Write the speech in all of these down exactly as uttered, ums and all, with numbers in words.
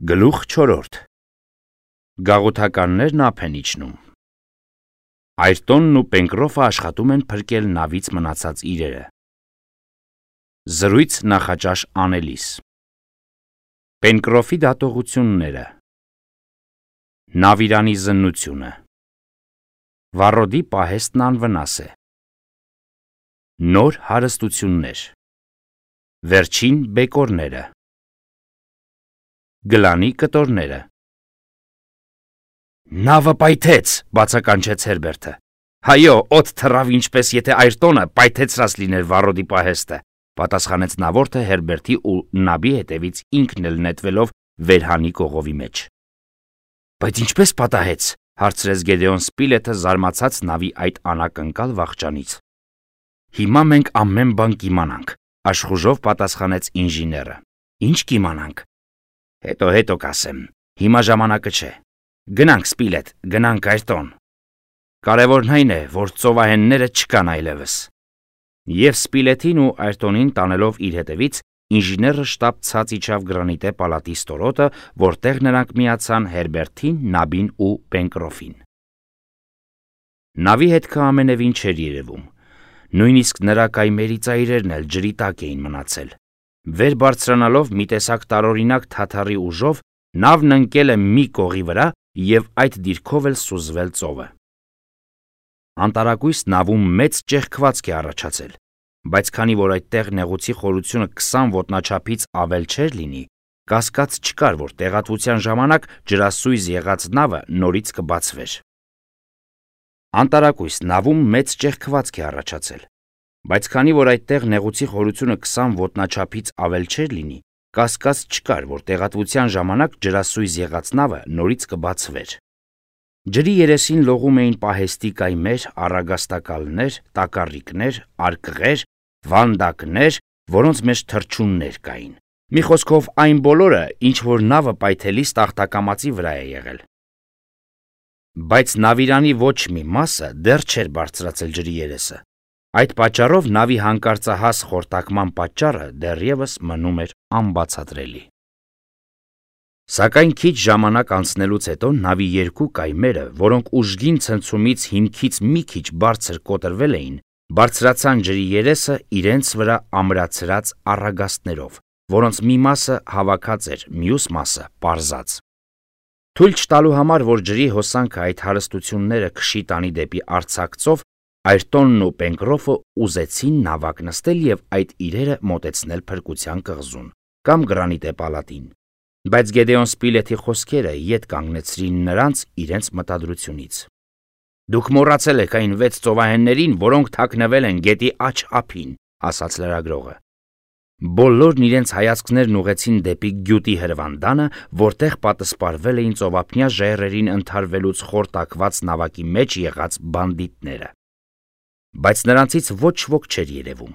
Գլուխ չորրորդ Գաղութականներն ափ են իջնում։ Այրտոնն ու Պենկրոֆը աշխատում են փրկել նավից մնացած իրերը։ Զրույց նախաճաշ անելիս։ Պենկրոֆի դատողությունները։ Նավիրանի զննությունը։ Վառոդի պահեստն անվնաս է։ Նոր հարստություններ։ Վերջին բեկորները։ Գլանի կտորները։ Նավը պայթեց, բացականչեց Հերբերտը։ Հայո, օդ թռավ ինչպես եթե Այրտոնը պայթեցրած լիներ Վառոդի պահեստը, պատասխանեց նավորդը Հերբերտի ու նաբի հետևից ինքն էլ նետվելով վերհանի կողովի մեջ։ Բայց ինչպես պատահեց, հարցրեց Գեդեոն Սպիլեթը զարմացած նավի այդ անակնկալ վախճանից։ Հիմա մենք ամեն բան կիմանանք, աշխուժով պատասխանեց ինժեները։ Ինչ կիմանանք։ Հետո հետո կասեմ, հիմա ժամանակը չէ։ Գնանք Սպիլեթ, գնանք Այրտոն։ Կարևորն այն է, որ ծովահենները չկան այլևս։ Եվ Սպիլեթին ու Այրտոնին տանելով իր հետևից, ինժեները շտապ ցած իջավ գրանիտե պալատի ստորոտը, որտեղ նրանք միացան Հերբերտին, նաբին ու Պենկրոֆին։ Նավի հետքը ամենևին չէր երևում։ Նույնիսկ նրա կայմերի ծայրերն էլ ջրի տակ էին մնացել։ Վեր բարձրանալով մի տեսակ տարօրինակ թաթարի ուժով, նավն ընկել է մի կողի վրա և այդ դիրքով էլ սուզվել ծովը։ Անտարակույս նավում մեծ ճեղքվածք է առաջացել, բայց քանի որ այդտեղ նեղուցի խորությունը քսան ոտնաչափից ավել չէր լինի, կասկած չկար, որ տեղատվության ժամանակ ջրասույզ եղած նավը նորից կբացվեր։ Անտարակույս նավում մեծ ճեղքվածք է առաջացել, բայց քանի որ այդտեղ նեղուցի խորությունը քսան ոտնաչափից ավել չէր լինի, կասկած չկար, որ տեղատվության ժամանակ ջրասույզ եղած նավը նորից կբացվեր։ Ջրի երեսին լողում էին պահեստի կայմեր, առագաստակալներ, տակառիկներ, արկղեր, վանդակներ, որոնց մեջ թռչուններ կային։ Մի խոսքով այն բոլորը, ինչ որ նավը պայթելիս տախտակամածի վրա է եղել։ Բայց նավիրանի ոչ մի մասը դեռ չէր բարձրացել ջրի երեսը։ Այդ պատճառով նավի հանկարծահաս խորտակման պատճառը դեռևս մնում էր անբացատրելի։ Սակայն քիչ ժամանակ անցնելուց հետո նավի երկու կայմերը, որոնք ուժգին ցնցումից հիմքից մի քիչ բարձր կոտրվել էին, բարձրացան ջրի երեսը իրենց վրա ամրացրած առագաստներով, որոնց մի մասը հավաքած էր, մյուս մասը պարզած։ Թույլ չտալու համար, որ ջրի հոսանքը այդ հարստությունները քշի տանի դեպի արձակ ծով, Այրտոնն ու Պենկրոֆը ուզեցին նավակ նստել և այդ իրերը մոտեցնել փրկության կղզուն կամ գրանիտե պալատին, բայց Գեդեոն Սպիլեթի խոսքերը ետ կանգնեցրին նրանց իրենց մտադրությունից։ Դուք մոռացել եք այն վեց ծովահեններին, որոնք թաքնվել են գետի աջ ափին, ասաց լրագրողը։ Բոլորն իրենց հայացքներն ուղղեցին դեպի գյուտի հրվանդանը, որտեղ պատսպարվել էին ծովափնյա ժայռերին ընդհարվելուց խորտակված նավակի մեջ եղած բանդիտները։ Բայց նրանցից ոչ ոք չէր երևում։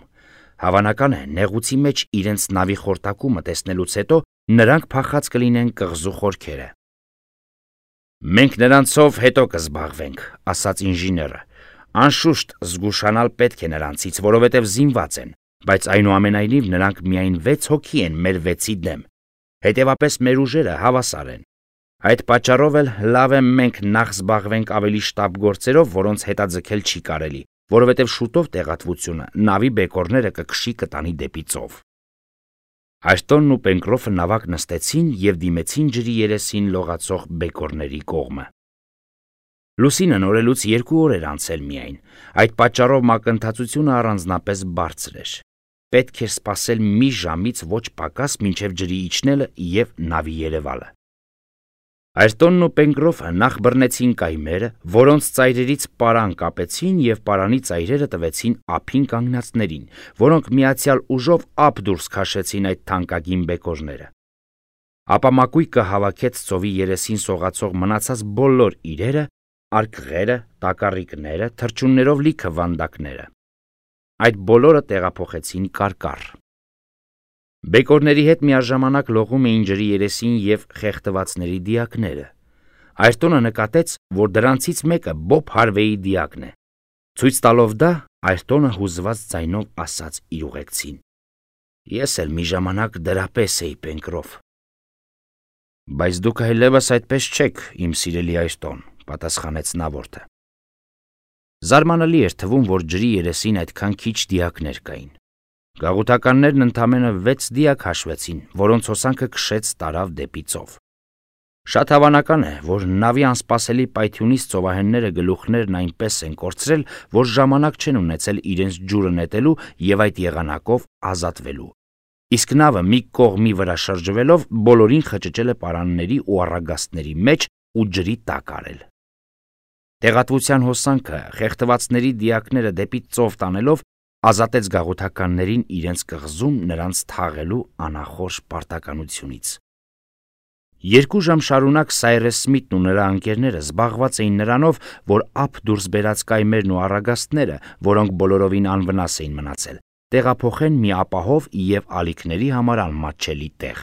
Հավանական է, նեղուցի մեջ իրենց նավի խորտակումը տեսնելուց հետո նրանք փախած կլինեն կղզու խորքերը։ Մենք նրանցով հետո կզբաղվենք, ասաց ինժեները։ Անշուշտ զգուշանալ պետք է նրանցից, որովհետև զինված են, բայց այնուամենայնիվ նրանք միայն վեց հոգի են մեր վեցի դեմ, հետևապես մեր ուժերը հավասար են։ Այդ պատճառով էլ լավ է մենք նախ զբաղվենք ավելի շտապ գործերով, որոնց հետաձգել չի կարելի, որովհետև շուտով տեղատվությունը նավի բեկորները կքշի կտանի դեպի ծով։ Այրտոնն ու Պենկրոֆը նավակ նստեցին և դիմեցին ջրի երեսին լողացող բեկորների կողմը։ Լուսինը նորելուց երկու օր էր անցել միայն, այդ պատճառով մակընթացությունը առանձնապես բարձր էր։ Պետք էր սպասել մի ժամից ոչ պակաս մինչև ջրի իջնելը և նավի երևալը։ Այրտոնն ու Պենկրոֆը նախ բռնեցին կայմերը, որոնց ծայրերից պարան կապեցին և պարանի ծայրերը տվեցին ափին կանգնածներին, որոնք միացյալ ուժով ափ դուրս քաշեցին այդ թանկագին բեկորները։ Ապա մակույկը հավաքեց ծովի երեսին սողացող մնացած բոլոր իրերը, արկղերը, տակառիկները, թռչուններով լիքը վանդակները։ Այդ բոլորը տեղափոխեցին կարկառ։ Բեկորների հետ միաժամանակ լողում էին ջրի երեսին և խեղդվածների դիակները։ Այրտոնը նկատեց, որ դրանցից մեկը Բոբ Հարվեյի դիակն է։ Ցույց տալով դա, Այրտոնը հուզված ձայնով ասաց իր ուղեկցին. Ես էլ մի ժամանակ դրա պես էի, Պենկրոֆ։ Բայց դուք այլևս այդպես չեք, իմ սիրելի Այրտոն, պատասխանեց նավորդը։ Զարմանալի էր թվում, որ ջրի երեսին այդքան քիչ դիակներ կային։ Գաղութականներն ընդամենը վեց դիակ հաշվեցին, որոնց հոսանքը քշեց տարավ դեպի ծով։ Շատ հավանական է, որ նավի անսպասելի պայթյունից ծովահենները գլուխներն այնպես են կորցրել, որ ժամանակ չեն ունեցել իրենց ջուրը նետելու եւ այդ եղանակով ազատվելու։ Իսկ նավը մի կողմի վրա շրջվելով բոլորին խճճել է պարանների ու առագաստների մեջ ու ջրի տակ արել։ Տեղատվության հոսանքը խեղդվածների դիակները դեպի ծով տանելով ազատեց գաղութականներին իրենց կղզում նրանց թաղելու անախորժ պարտականությունից։ Երկու ժամ շարունակ Սայրես Սմիթն ու նրա ընկերները զբաղված էին նրանով, որ ափ դուրս բերած կայմերն ու առագաստները, որոնք բոլորովին անվնաս էին մնացել, տեղափոխեն մի ապահով եւ ալիքների համար անմատչելի տեղ։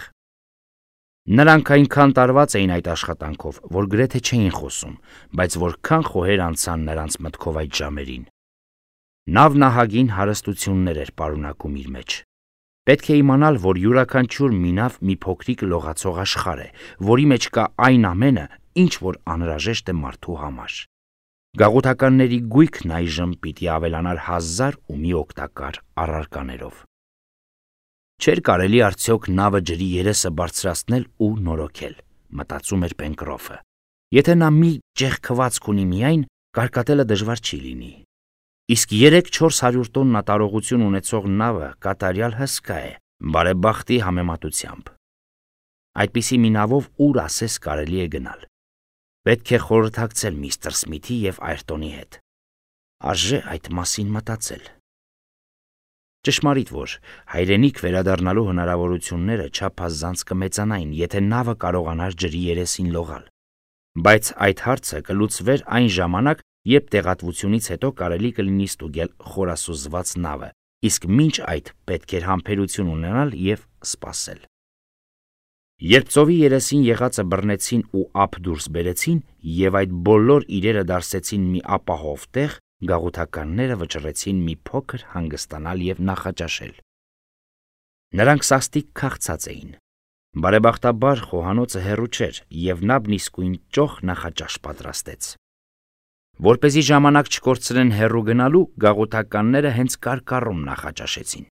Նրանք այնքան տարված էին այդ աշխատանքով, որ գրեթե չէին խոսում, բայց որքան խոհեր անցան նրանց մտքով այդ ժամերին։ Նավն ահագին հարստություններ էր պարունակում իր մեջ։ Պետք է իմանալ, որ յուրաքանչյուր մի նավ մի փոքրիկ լողացող աշխարհ է, որի մեջ կա այն ամենը, ինչ որ անհրաժեշտ է մարդու համար։ Գաղութականների գույքն այժմ պիտի ավելանար հազար ու մի օգտակար առարկաներով։ Չէր կարելի արդյոք նավը ջրի երեսը բարձրացնել ու նորոգել, մտածում էր Պենկրոֆը։ Եթե նա մի ճեղքվածք ունի միայն, կարկատելը դժվար չի լինի։ Իսկ երեք-չորս հարյուր տոննա տարողություն ունեցող նավը կատարյալ հսկա է, բարեբախտի համեմատությամբ։ Այդպիսի մի նավով ուր ասես կարելի է գնալ։ Պետք է խորհրդակցել միստր Սմիթի եւ Այրտոնի հետ։ Արժե այդ մասին մտածել։ Ճշմարիտ որ հայրենիք վերադառնալու հնարավորությունները չափազանց կմեծանային, եթե նավը կարողանար ջրի երեսին լողալ։ Բայց այդ հարցը կլուծվեր այն ժամանակ, երբ տեղատվությունից հետո կարելի կլինի ստուգել խորասուզված նավը, իսկ մինչ այդ պետք էր համբերություն ունենալ եւ սպասել։ Երբ ծովի երեսին եղածը բռնեցին ու ափ դուրս բերեցին եւ այդ բոլոր իրերը դարսեցին մի ապահով տեղ, գաղութականները վճռեցին մի փոքր հանգստանալ եւ նախաճաշել։ Նրանք սաստիկ քաղցած էին։ Բարեբախտաբար խոհանոցը հեռու չէր եւ նավն իսկույն ճոխ նախաճաշ պատրաստեց։ Որպեսզի ժամանակ չկորցրեն հեռու գնալու, գաղութականները հենց կարկառում նախաճաշեցին։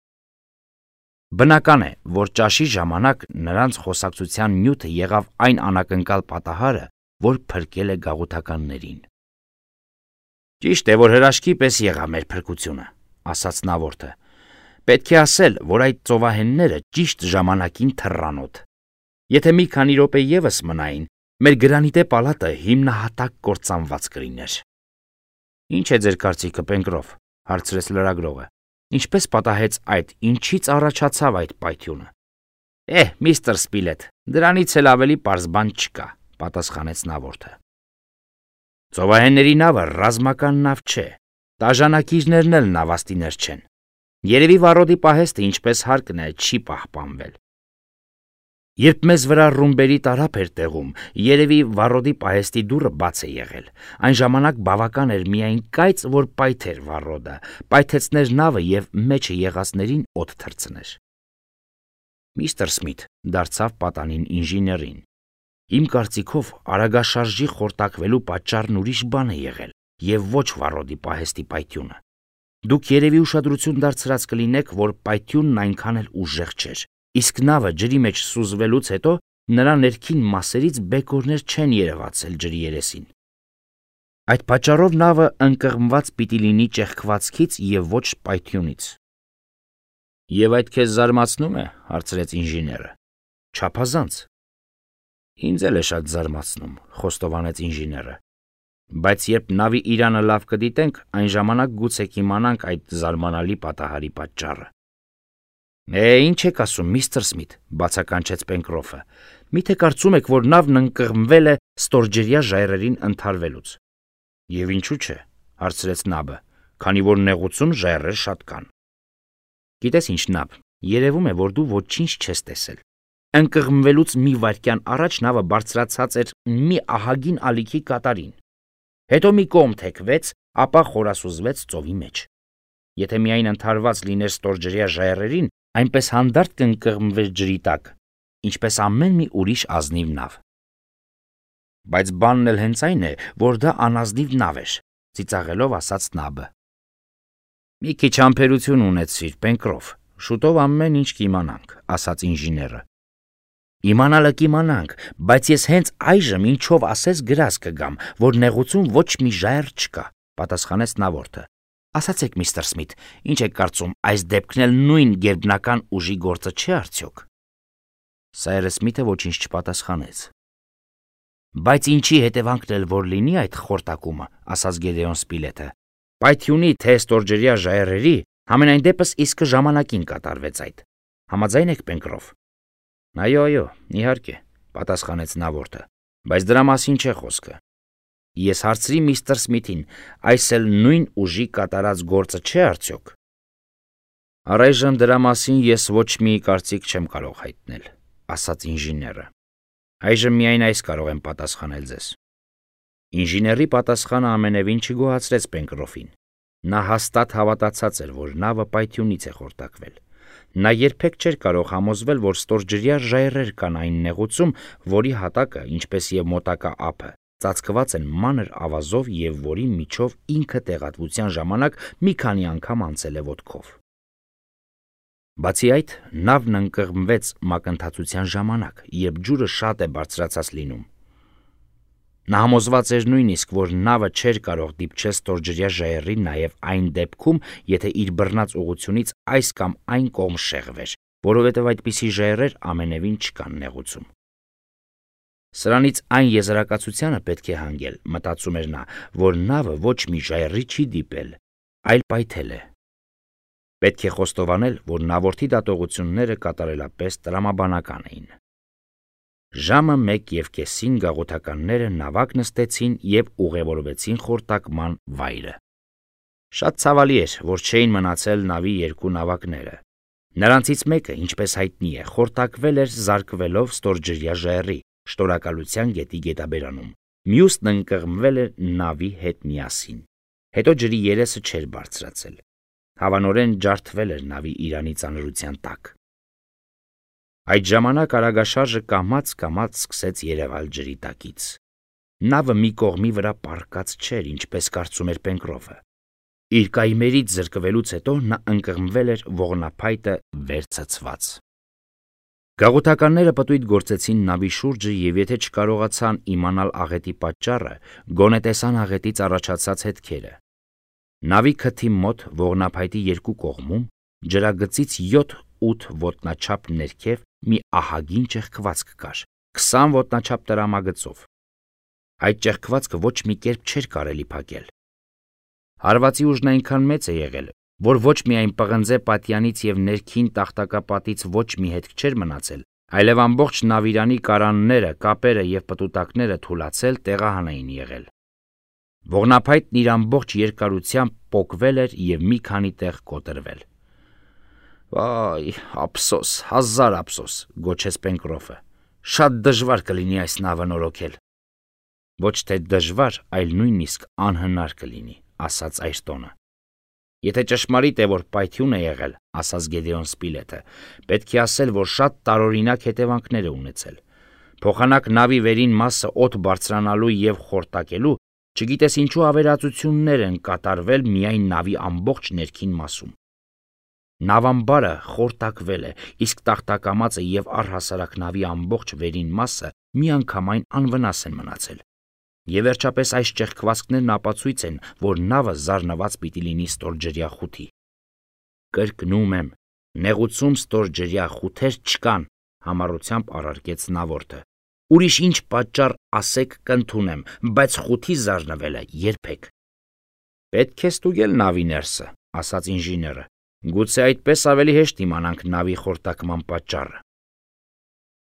Բնական է, որ ճաշի ժամանակ նրանց խոսակցության նյութը եղավ այն անակնկալ պատահարը, որ փրկել է գաղութականներին։ Ճիշտ է, որ հրաշքի պես եղավ մեր փրկությունը, ասաց նավորդը։ Պետք է ասել, որ այդ ծովահենները ճիշտ ժամանակին թռան օդ։ Եթե մի քանի րոպե եւս մնային, մեր գրանիտե պալատը հիմնահատակ կործանված կլիներ։ Ինչ է ձեր կարծիքը, Պենկրոֆ, հարցրեց լրագրողը։ Ինչպես պատահեց այդ, ինչից առաջացավ այդ պայթյունը։ Էհ, միստր Սպիլետ, դրանից էլ ավելի պարզ բան չկա, պատասխանեց նավորդը։ Ծովահենների նավը ռազմական նավ չէ, տաժանակիչներն էլ նավաստիներ չեն։ Երևի վառոդի պահեստը ինչպես հարկն է չի պահպանվել։ Երբ մեզ վրա ռումբերի տարափ էր տեղում, երևի վառոդի պահեստի դուռը բաց է եղել։ Այն ժամանակ բավական էր միայն կայծ, որ պայթեր վառոդը, պայթեցներ նավը եւ մեջը եղածներին օդ թռցներ։ Միստր Սմիթ դարձավ պատանին ինժեներին։ Իմ կարծիքով արագաշարժի խորտակվելու պատճառն ուրիշ բան է եղել եւ ոչ վառոդի պահեստի պայթյունը։ Դուք երևի ուշադրություն դարձրած կլինեք, որ պայթյունն այնքան էլ ուժեղ չէր, իսկ նավը ջրի մեջ սուզվելուց հետո նրա ներքին մասերից բեկորներ չեն երևացել ջրի երեսին։ Այդ պատճառով նավը ընկղմված պիտի լինի ճեղքվածքից եւ ոչ պայթյունից։ Եվ այդ քեզ զարմացնում է, հարցրեց ինժեները։ Չափազանց։ Ինձ էլ է շատ զարմացնում, խոստովանեց ինժեները։ Բայց երբ նավի իրանը լավ կդիտենք, այն ժամանակ գուցե կիմանանք այդ զարմանալի պատահարի պատճառը։ Է, ինչ եք ասում, միստր Սմիթ, բացականչեց Պենկրոֆը։ Միթե կարծում եք, որ նավն ընկղմվել է ստորջրյա ժայռերին ընդհարվելուց։ Եվ ինչու՞ չէ, հարցրեց նաբը, քանի որ նեղուցում ժայռեր շատ կան։ Գիտես ինչ, նավ, երևում է, որ դու ոչինչ չես տեսել։ Ընկղմվելուց մի վայրկյան առաջ նավը բարձրացած էր մի ահագին ալիքի կատարին։ Հետո մի կողմ թեքվեց, ապա խորասուզվեց ծովի մեջ։ Եթե միայն ընդհարված լիներ ստորջրյա ժայռերին, այնպես հանդարտ կընկղմվեր ջրի տակ։ ինչպես ամեն մի ուրիշ ազնիվ նավ։ Բայց բանն էլ հենց այն է, որ դա անազնիվ նավ էր, ծիծաղելով ասաց Նաբը։ Մի քիչ համբերություն ունեցիր, Պենկրոֆ, շուտով ամեն ինչ կիմանանք, ասաց ինժեները։ Իմանալը կիմանանք, բայց ես հենց այժմ ինչով ասես գրած կգամ, որ նեղուցում ոչ մի ժայռ չկա, պատասխանեց նավորդը։ Ասացեք, միստր Սմիթ, ինչ եք կարծում, այս դեպքն էլ նույն գերբնական ուժի գործը չէ արդյոք։ Սայրը Սմիթը ոչինչ չպատասխանեց։ Բայց ինչի հետևանքն էլ որ լինի այդ խորտակումը, ասաց Գեդեոն Սպիլետը։ Պայթյունի թե ստորջրյա ժայռերի համենայն դեպս իսկը ժամանակին կատարվեց այդ։ Համաձայն եք, Պենկրոֆ։ Այո, այո, իհարկե, պատասխանեց նավորդը, բայց դրա մասին չէ խոսքը։ Ես հարցրի միստր Սմիթին, այս էլ նույն ուժի կատարած գործը չէ արդյոք։ Առայժմ դրա մասին ես ոչ մի կարծիք չեմ կարող հայտնել, ասաց ինժեները։ Այժմ միայն այս կարող եմ պատասխանել ձեզ։ Ինժեների պատասխանը ամենևին չգոհացրեց Պենկրոֆին։ Նա հաստատ հավատացած էր, որ նավը պայթյունից է խորտակվել։ Նա երբեք չէր կարող համոզվել, որ ստորջրյա ժայռեր կան այն նեղուցում, որի հատակը, ինչպես եւ մոտակա ափը, ծածկված են մանր ավազով եւ որի միջով ինքը տեղատվության ժամանակ մի քանի անգամ անցել է ոտքով։ Բացի այդ, նավն ընկղմվեց մակընթացության ժամանակ, երբ ջուրը շատ է բարձրացած լինում։ Նա համոզված էր նույնիսկ, որ նավը չէր կարող դիպչել ստորջրյա ժայռին նաև այն դեպքում, եթե իր բռնած ուղությունից այս կամ այն կողմ շեղվեր, որովհետև այդպիսի ժայռեր ամենևին չկան նեղուցում։ Սրանից այն եզրակացությանը պետք է հանգել, մտածում էր նա, որ նավը ոչ մի ժայռի չի դիպել, այլ պայթել է։ Պետք է խոստովանել, որ նավորդի դատողությունները կատարելապես տրամաբանական էին։ Ժամը մեկ և կեսին գաղութականները նավակ նստեցին և ուղևորվեցին խորտակման վայրը։ Շատ ցավալի էր, որ չէին մնացել նավի երկու նավակները։ Նրանցից մեկը, ինչպես հայտնի է, խորտակվել էր զարկվելով ստորջրյա ժայռի, Շնորհակալության գետի գետաբերանում, մյուսն ընկղմվել էր նավի հետ միասին։ Հետո ջրի երեսը չէր բարձրացել։ Հավանորեն ջարդվել էր նավի իրանի ծանրության տակ։ Այդ ժամանակ արագաշարժը կամաց-կամաց սկսեց երևալ ջրի տակից։ Նավը մի կողմի վրա պառկած չէր, ինչպես կարծում էր Պենկրոֆը։ Իր կայմերից զրկվելուց հետո նա ընկղմվել էր ողնափայտը վեր ցցված։ Գաղութականները պտույտ գործեցին նավի շուրջը և եթե չկարողացան իմանալ աղետի պատճառը, գոնե տեսան աղետից առաջացած հետքերը։ Նավի քթի մոտ ողնափայտի երկու կողմում ջրագծից յոթ-ութ ոտնաչափ ներքև մի ահագին ճեղքվածք կար, քսան ոտնաչափ տրամագծով։ Այդ ճեղքվածքը ոչ մի կերպ չէր կարելի փակել։ Հարվածի ուժն այնքան մեծ է եղել, որ ոչ միայն պղնձե պատյանից և ներքին տախտակապատից ոչ մի հետք չէր մնացել, այլև ամբողջ նավիրանի կարանները, կապերը և պտուտակները թուլացել տեղահան էին եղել։ Ողնափայտն իր ամբողջ երկարությամբ պոկվել էր և մի քանի տեղ կոտրվել։ Վայ, ափսոս, հազար ափսոս, գոչեց Պենկրոֆը։ Շատ դժվար կլինի այս նավը նորոգել։ Ոչ թե դժվար, այլ նույնիսկ անհնար կլինի, ասաց Այրտոնը։ Եթե ճշմարիտ է, որ պայթյուն է եղել, ասաց Գեդեոն Սպիլետը, պետք է ասել, որ շատ տարօրինակ հետևանքներ է ունեցել։ Փոխանակ նավի վերին մասը օդ բարձրանալու և խորտակելու, չգիտես ինչու ավերածություններ են կատարվել միայն նավի ամբողջ ներքին մասում։ Նավամբարը խորտակվել է, իսկ տախտակամածը և առհասարակ նավի ամբողջ վերին մասը միանգամայն անվնաս են մնացել։ Եվ վերջապես այս ճեղքվածքներն ապացույց են, որ նավը զարնված պիտի լինի ստորջրյա խութի։ Կրկնում եմ, նեղուցում ստորջրյա խութեր չկան, համառությամբ առարկեց նավորդը։ Ուրիշ ինչ պատճառ ասեք կընդունեմ, բայց խութի զարնվելը երբեք։ Պետք է ստուգել նավի ներսը, ասաց ինժեները։ Գուցե այդպես ավելի հեշտ իմանանք նավի խորտակման պատճառը։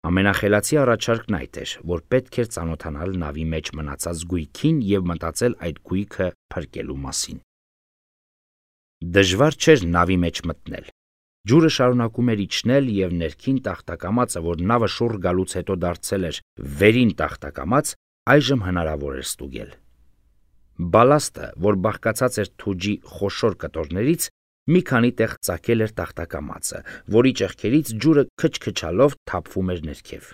Ամենախելացի առաջարկն այդ էր, որ պետք էր ծանոթանալ նավի մեջ մնացած գույքին և մտածել այդ գույքը փրկելու մասին։ Դժվար չէր նավի մեջ մտնել։ Ջուրը շարունակում էր իջնել և ներքին տախտակամածը, որ նավը շուռ գալուց հետո դարձել էր վերին տախտակամած, այժմ հնարավոր էր ստուգել։ Բալաստը, որ բաղկացած էր թուջի խոշոր կտորներից, Մի քանի տեղ ծակել էր տախտակամածը, որի ճեղքերից ջուրը քչքչալով թափվում էր ներքև։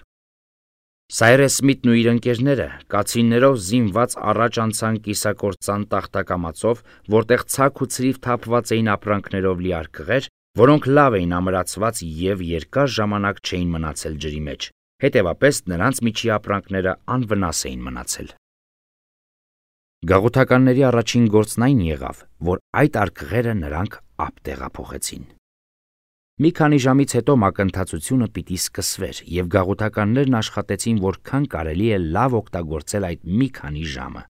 Սայրես Սմիթն ու իր ընկերները կացիններով զինված առաջ անցան կիսակործան տախտակամածով, որտեղ ցակ ու ցրիվ թափված էին ապրանքներով լի արկղեր, որոնք լավ էին ամրացված եւ երկար ժամանակ չէին մնացել ջրի մեջ, հետևապես նրանց միջի ապրանքները անվնաս էին մնացել։ Գաղութականների առաջին գործն այն եղավ, որ այդ արկղերը նրանք ափ տեղափոխեցին։ Մի քանի ժամից հետո մակընթացությունը պիտի սկսվեր, եւ գաղութականներն աշխատեցին որքան կարելի է լավ օգտագործել այդ մի քանի ժամը։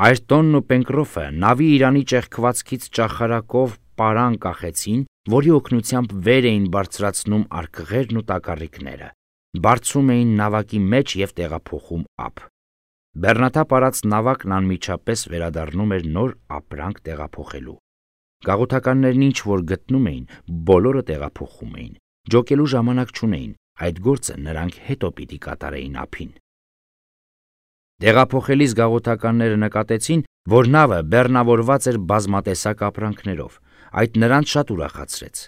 Այրտոնն ու Պենկրոֆը նավի իրանի ճեղքվածքից ճախարակով պարան կախեցին, որի օգնությամբ վեր էին բարձրացնում արկղերն ու տակառիկները, բարձում էին նավակի մեջ եւ տեղափոխում ափ։ Բեռնաթափ արած նավակն անմիջապես վերադառնում էր նոր ապրանք տեղափոխելու։ Գաղութականներն ինչ որ գտնում էին, բոլորը տեղափոխում էին, ջոկելու ժամանակ չունեին, այդ գործը նրանք հետո պիտի կատարեին ափին։ Տեղափոխելիս գաղութականները նկատեցին, որ նավը բեռնավորված էր բազմատեսակ ապրանքներով, այդ նրանց շատ ուրախացրեց։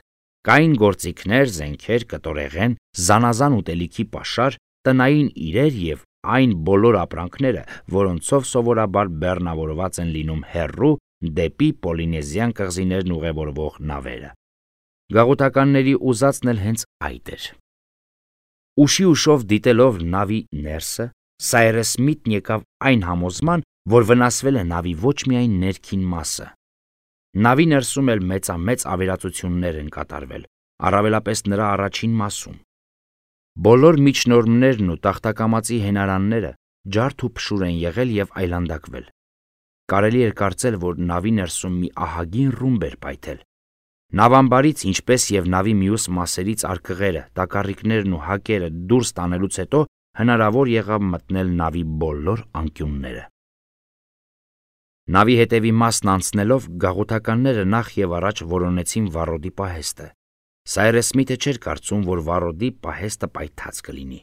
Կային գործիքներ, զենքեր, կտորեղեն, զանազան ուտելիքի պաշար, տնային իրեր եւ այն բոլոր ապրանքները, որոնցով սովորաբար բեռնավորված են լինում հեռու դեպի Պոլինեզիան կղզիներն ուղևորվող նավերը։ Գաղութականների ուզածն էլ հենց այդ էր։ Ուշի ուշով դիտելով նավի ներսը, Սայրես Սմիթն եկավ այն համոզման, որ վնասվել է նավի ոչ միայն ներքին մասը։ Նավի ներսում էլ մեծամեծ ավերածություններ են կատարվել, առավելապես նրա առաջին մասում։ Բոլոր միջնորմներն ու տախտակամածի հենարանները ջարդ ու փշուր են եղել եւ այլանդակվել։ Կարելի էր կարծել, որ նավի ներսում մի ահագին ռումբ էր պայթել։ Նավամբարից, ինչպես եւ նավի մյուս մասերից արկղերը, տակառիկներն ու հակերը դուրս տանելուց հետո հնարավոր եղավ մտնել նավի բոլոր անկյունները։ Նավի հետևի մասն անցնելով գաղութականները նախ եւ առաջ որոնեցին վառոդի պահեստը։ Սայրես Սմիթը չէր կարծում, որ վառոդի պահեստը պայթած կլինի։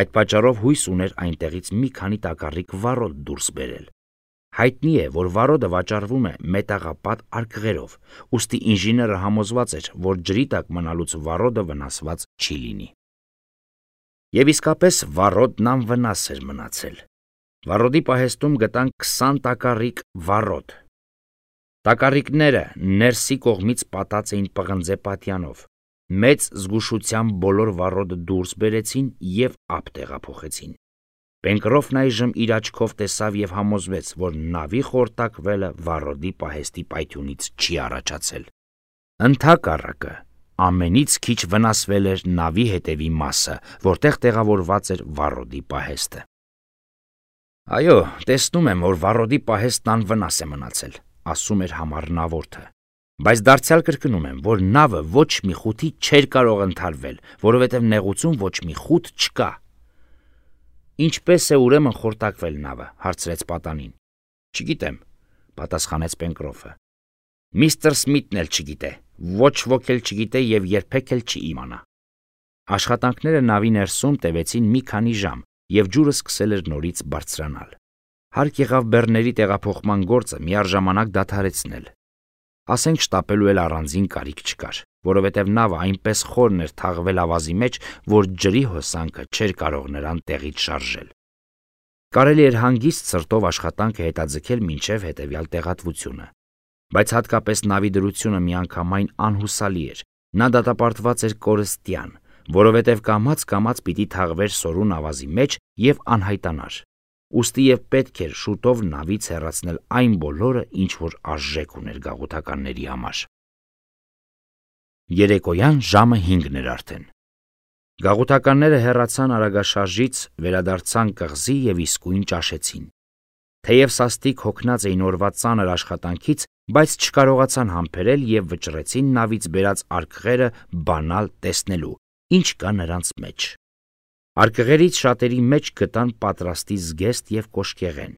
Այդ պատճառով հույս ուներ այնտեղից մի քանի տակառիկ վառոդ դուրս բերել։ Հայտնի է, որ վառոդը վաճառվում է մետաղապատ արկղերով, ուստի ինժեները համոզված էր, որ ջրի տակ մնալուց վառոդը վնասված չի լինի։ Եվ իսկապես վառոդն անվնաս էր մնացել։ Վառոդի պահեստում գտան քսան տակառիկ վառոդ։ Տակառիկները ներսի կողմից պատած էին պղնձե պատյանով։ Մեծ զգուշությամբ բոլոր վառոդը դուրս բերեցին եւ ափ տեղափոխեցին։ Պենկրոֆն այժմ իր աչքով տեսավ եւ համոզվեց, որ նավի խորտակվելը վառոդի պահեստի պայթյունից չի առաջացել։ Ընդհակառակը, ամենից քիչ վնասվել էր նավի հետևի մասը, որտեղ տեղավորված էր վառոդի պահեստը։ Այո, տեսնում եմ, որ վառոդի պահեստն անվնաս է մնացել, ասում էր համառնավորթը։ Բայց դարձյալ կրկնում եմ, որ նավը ոչ մի խութի չէր կարող ընդհարվել, որովհետև նեղուցում ոչ մի խութ չկա։ Ինչպես է ուրեմն խորտակվել նավը, հարցրեց պատանին։ Չգիտեմ, պատասխանեց Պենկրոֆը։ Միստր Սմիթն էլ չգիտե, ոչ ոք էլ չգիտե եւ երբեք էլ չի իմանա։ Աշխատանքները նավի ներսում տևեցին մի քանի ժամ եւ ջուրը սկսել էր նորից բարձրանալ։ Հարկ եղավ բեռների տեղափոխման գործը միառժամանակ դադարեցնել։ Ասենք շտապելու էլ առանձին կարիք չկար, որովհետև նավը այնպես խորն էր թաղվել ավազի մեջ, որ ջրի հոսանքը չէր կարող նրան տեղից շարժել։ Կարելի էր հանգիստ սրտով աշխատանքը հետաձգել մինչև հետևյալ տեղատվությունը, բայց հատկապես նավի դրությունը միանգամայն անհուսալի էր, նա դատապարտված էր կորստյան, որովհետև կամաց-կամաց պիտի թաղվեր սորուն ավազի մեջ եւ անհայտանար։ Ուստի եւ պետք էր շուտով նավից հեռացնել այն բոլորը, ինչ որ արժեք ուներ գաղութականների համար։ Երեկոյան ժամը հինգն էր արդեն։ Գաղութականները հեռացան արագաշարժից, վերադարձան կղզի եւ իսկույն ճաշեցին։ Թեև սաստիկ հոգնած էին օրվա ծանր աշխատանքից, բայց չկարողացան համբերել եւ վճռեցին նավից բերած արկղերը բանալ տեսնելու, ինչ կա նրանց մեջ։ Արկղերից շատերի մեջ գտան պատրաստի զգեստ եւ կոշկեղեն։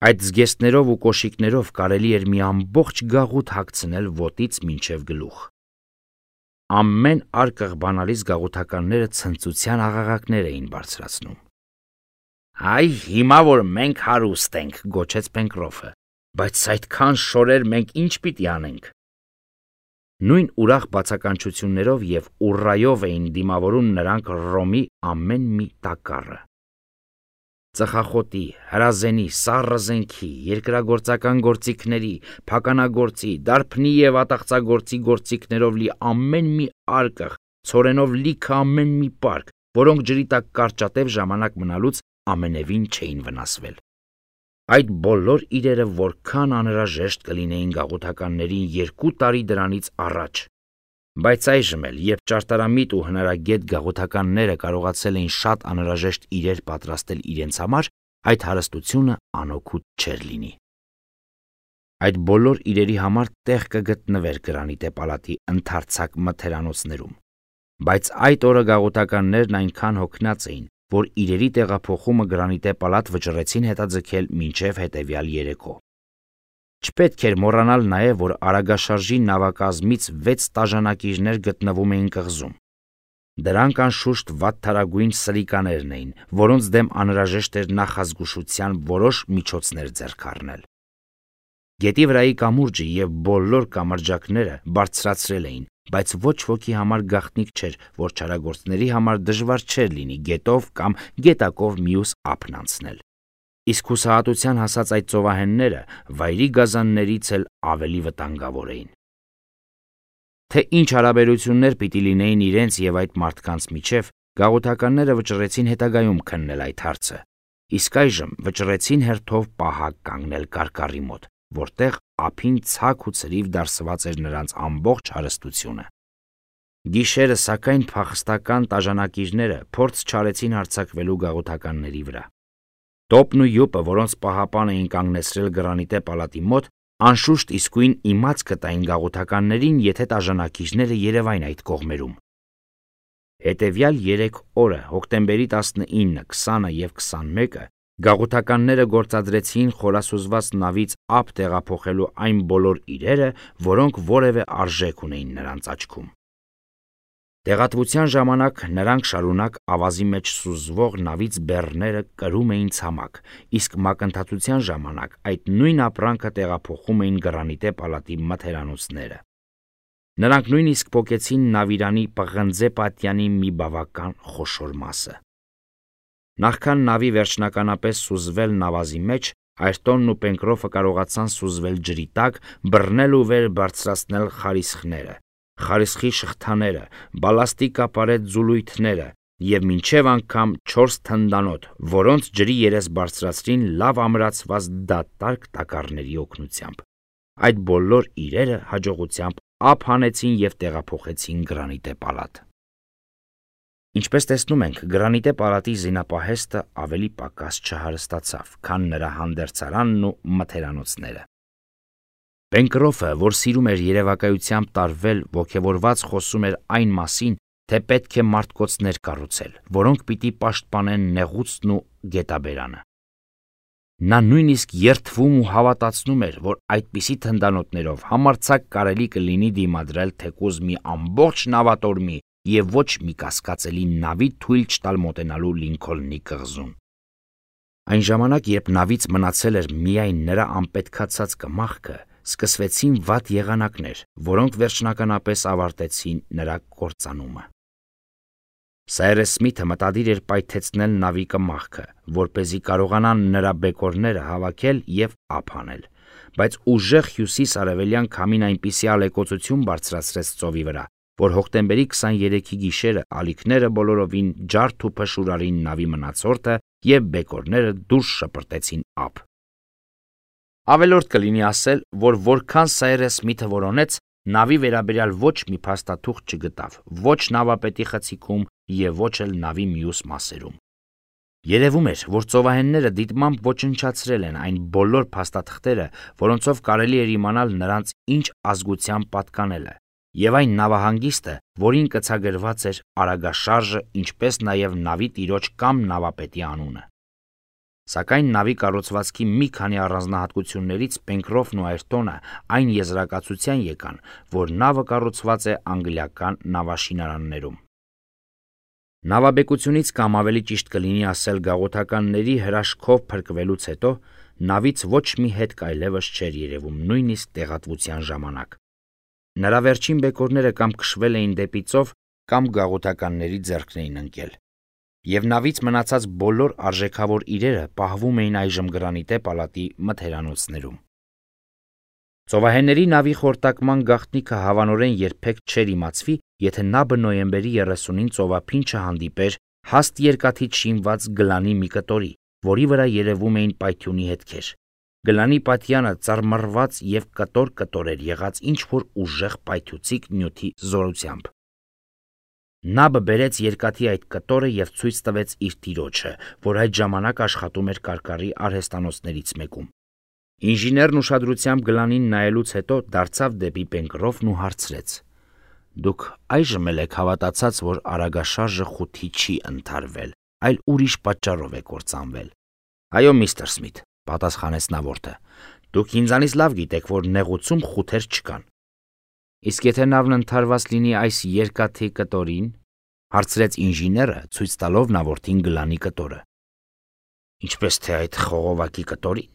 Այդ զգեստներով ու կոշիկներով կարելի էր մի ամբողջ գաղութ հագցնել ոտից մինչև գլուխ։ Ամեն արկղ բանալից գաղութականները ցնծության աղաղակներ էին բարձրացնում։ Այ հիմա որ մենք հարուստ ենք, գոչեց Պենկրոֆը, բայց այդքան շորեր մենք ինչ պիտի անենք։ Նույն ուրախ բացականչություններով և ուռայով էին դիմավորում նրանք Ռոմի ամեն մի տակառը։ Ծխախոտի, հրազենի, սառը զենքի, երկրագործական գործիքների, փականագործի, դարբնի և ատաղծագործի գործիքներով լի ամեն մի արկղ, ցորենով լիքը ամեն մի պարկ, որոնք ջրի տակ կարճատև ժամանակ մնալուց ամենևին չէին վնասվել։ Այդ բոլոր իրերը որքան անհրաժեշտ կլինեին գաղութականներին երկու տարի դրանից առաջ, բայց այժմ էլ, երբ ճարտարամիտ ու հնարագետ գաղութականները կարողացել էին շատ անհրաժեշտ իրեր պատրաստել իրենց համար, այդ հարստությունը անօգուտ չէր լինի։ Այդ բոլոր իրերի համար տեղ կգտնվեր Գրանիտե պալատի ընդարձակ մթերանոցներում, բայց այդ օրը գաղութականներն այնքան հոգնած էին, որ իրերի տեղափոխումը Գրանիտե պալատ վճռեցին հետաձգել մինչև հետևյալ երեկո։ Չպետք էր մոռանալ նաև, որ արագաշարժի նավակազմից վեց տաժանակիչներ գտնվում էին կղզում։ Դրանք անշուշտ վատթարագույն սրիկաներն էին, որոնց դեմ անհրաժեշտ էր նախազգուշության որոշ միջոցներ ձեռք առնել։ Գետի վրայի կամուրջը և բոլոր կամրջակները բարձրացրել էին, բայց ոչ ոքի համար գաղտնիք չէր, որ չարագործների համար դժվար չէր լինի գետով կամ գետակով մյուս ափն անցնել։ Իսկ հուսահատության հասած այդ ծովահենները վայրի գազաններից էլ ավելի վտանգավոր էին։ Թե ինչ հարաբերություններ պիտի լինեին իրենց և այդ մարդկանց միջև, գաղութականները վճռեցին հետագայում քննել այդ հարցը, իսկ այժմ վճռեցին հերթով պահակ կանգնել կարկառի մոտ, որտեղ ափին ցակ ու ցրիվ դարսված էր նրանց ամբողջ հարստությունը։ Գիշերը, սակայն, փախստական տաժանակիչները փորձ չարեցին հարձակվելու գաղութականների վրա։ Տոպն ու յուպը, որոնց պահապան էին կանգնեցրել Գրանիտե պալատի մոտ, անշուշտ իսկույն իմաց կտային գաղութականներին, եթե տաժանակիչները երևային այդ կողմերում։ Հետևյալ երեք օրը, հոկտեմբերի տասնինը, քսանը և քսանմեկը, գաղութականները գործադրեցին խորասուզված նավից ափ տեղափոխելու այն բոլոր իրերը, որոնք որևէ արժեք ունեին նրանց աչքում։ Տեղատվության ժամանակ նրանք շարունակ ավազի մեջ սուզվող նավից բեռները կրում էին ցամաք, իսկ մակընթացության ժամանակ այդ նույն ապրանքը տեղափոխում էին Գրանիտե պալատի մթերանոցները։ Նրանք նույնիսկ պոկեցին նավիրանի պղնձե պատյանի մի բավական խոշոր մասը։ Նախքան նավի վերջնականապես սուզվել նավազի մեջ, Այրտոնն ու Պենկրոֆը կարողացան սուզվել ջրի տակ, բռնել ու վեր բարձրացնել խարիսխները, խարիսխի շղթաները, բալաստիկ ապարետ ձուլույթները և մինչև անգամ չորս թնդանոթ, որոնց ջրի երես բարձրացրին լավ ամրացված դատարկ տակառների օգնությամբ։ Այդ բոլոր իրերը հաջողությամբ ափ հանեցին և տեղափոխեցին Գրանիտե պալատ։ Ինչպես տեսնում ենք, Գրանիտե պալատի զինապահեստը ավելի պակաս չհարստացավ, քան նրա հանդերձարանն ու մթերանոցները։ Պենկրոֆը, որ սիրում էր երևակայությամբ տարվել, ոգևորված խոսում էր այն մասին, թե պետք է մարդկոցներ կառուցել, որոնք պիտի պաշտպանեն նեղուցն ու գետաբերանը։ Նա նույնիսկ երդվում ու հավատացնում էր, որ այդպիսի թնդանոթներով համարձակ կարելի կլինի դիմադրել թեկուզ մի ամբողջ նավատորմի և ոչ մի կասկածելի նավի թույլ չտալ մոտենալու Լինքոլնի կղզուն։ Այն ժամանակ, երբ նավից մնացել էր միայն նրա անպետքացած կմախքը, սկսվեցին վատ եղանակներ, որոնք վերջնականապես ավարտեցին նրա կործանումը։ Սայրես Սմիթը մտադիր էր պայթեցնել նավի կմախքը, որպեսզի կարողանան նրա բեկորները հավաքել և ափ հանել, բայց ուժեղ հյուսիս-արևելյան քամին այնպիսի ալեկոծություն բարձրացրեց ծովի վրա, որ հոկտեմբերի քսաներեքի գիշերը ալիքները բոլորովին ջարդ ու փշուր արին նավի մնացորդը և բեկորները դուրս շպրտեցին ափ։ Ավելորդ կլինի ասել, որ որքան Սայրես Սմիթը որոնեց, նավի վերաբերյալ ոչ մի փաստաթուղթ չգտավ, ոչ նավապետի խցիկում և ոչ էլ նավի մյուս մասերում։ Երևում էր, որ ծովահենները դիտմամբ ոչնչացրել են այն բոլոր փաստաթղթերը, որոնցով կարելի էր իմանալ նրանց ինչ ազգությամբ պատկանելը, և այն նավահանգիստը, որին կցագրված էր արագաշարժը, ինչպես նաև նավի տիրոջ կամ նավապետի անունը։ Սակայն նավի կառուցվածքի մի քանի առանձնահատկություններից Պենկրոֆն ու Այրտոնը այն եզրակացության եկան, որ նավը կառուցված է անգլիական նավաշինարաններում։ Նավաբեկությունից կամ ավելի ճիշտ կլինի ասել գաղութականների հրաշքով փրկվելուց հետո նավից ոչ մի հետք այլևս չէր երևում նույնիսկ տեղատվության ժամանակ։ Նրա վերջին բեկորները կամ քշվել էին դեպի ծով, կամ գաղութականների ձեռքն էին ընկել, և նավից մնացած բոլոր արժեքավոր իրերը պահվում էին այժմ Գրանիտե պալատի մթերանոցներում։ Ծովահենների նավի խորտակման գաղտնիքը հավանորեն երբեք չէր իմացվի, եթե նաբը նոյեմբերի երեսունին ծովափին չհանդիպեր հաստ երկաթից շինված գլանի մի կտորի, որի վրա երևում էին պայթյունի հետքեր։ Գլանի պատյանը ծռմռված և կտոր-կտոր էր եղած ինչ-որ ուժեղ պայթուցիկ նյութի զորությամբ։ Նաբը բերեց երկաթի այդ կտորը և ցույց տվեց իր տիրոջը, որ այդ ժամանակ աշխատում էր կարկառի արհեստանոցներից մեկում։ Ինժեներն ուշադրությամբ գլանին նայելուց հետո դարձավ դեպի Պենկրոֆն ու հարցրեց. «Դուք այժմ էլ եք հավատացած, որ արագաշարժը խութի չի ընդհարվել, այլ ուրիշ պատճառով է կործանվել»։ «Այո, միստր Սմիթ», պատասխանեց նավորդը, «դուք ինձանից լավ գիտեք, որ նեղուցում խութեր չկան»։ «Իսկ եթե նավն ընդհարված լինի այս երկաթի կտորին», հարցրեց ինժեները, ցույց տալով նավորդին գլանի կտորը։ «Ինչպես թե այդ խողովակի կտորին»,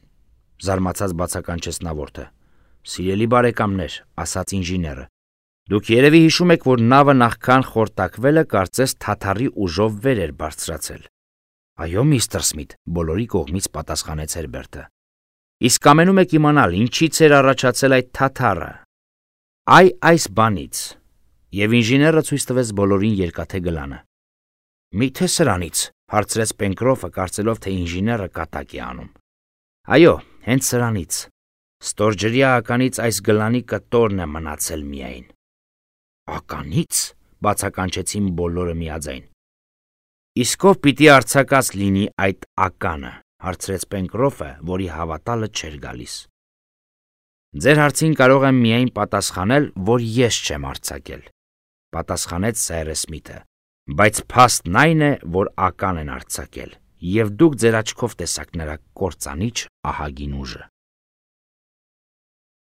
զարմացած բացականչեց նավորդը։ «Սիրելի բարեկամներ», ասաց ինժեները, «դուք երևի հիշում եք, որ նավը նախքան խորտակվելը կարծես թաթարի ուժով վեր էր բարձրացել»։ «Այո, միստր Սմիթ», բոլորի կողմից պատասխանեց Հերբերտը։ «Իսկ կամենում եք իմանալ, ինչից էր առաջացել այդ թաթարը»։ «Այ այս բանից», և ինժեները ցույց տվեց բոլորին երկաթե գլանը։ «Մի՞թե սրանից», հարցրեց Պենկրոֆը, կարծելով, թե ինժեները կատակ է անում։ «Այո, հենց սրանից։ Ստորջրյա ականից այս գլանի կտորն է մնացել միայն»։ «Ականի՞ց», բացականչեցին բոլորը միաձայն։ «Իսկ ով պիտի արձակած լինի այդ ականը», հարցրեց Պենկրոֆը, որի հավատալը չէր գալիս։ «Ձեր հարցին կարող եմ միայն պատասխանել, որ ես չեմ արձակել», պատասխանեց Սայրես Սմիթը, «բայց փաստն այն է, որ ական են արձակել, և դուք ձեր աչքով տեսաք նրա կործանիչ ահագին ուժը»։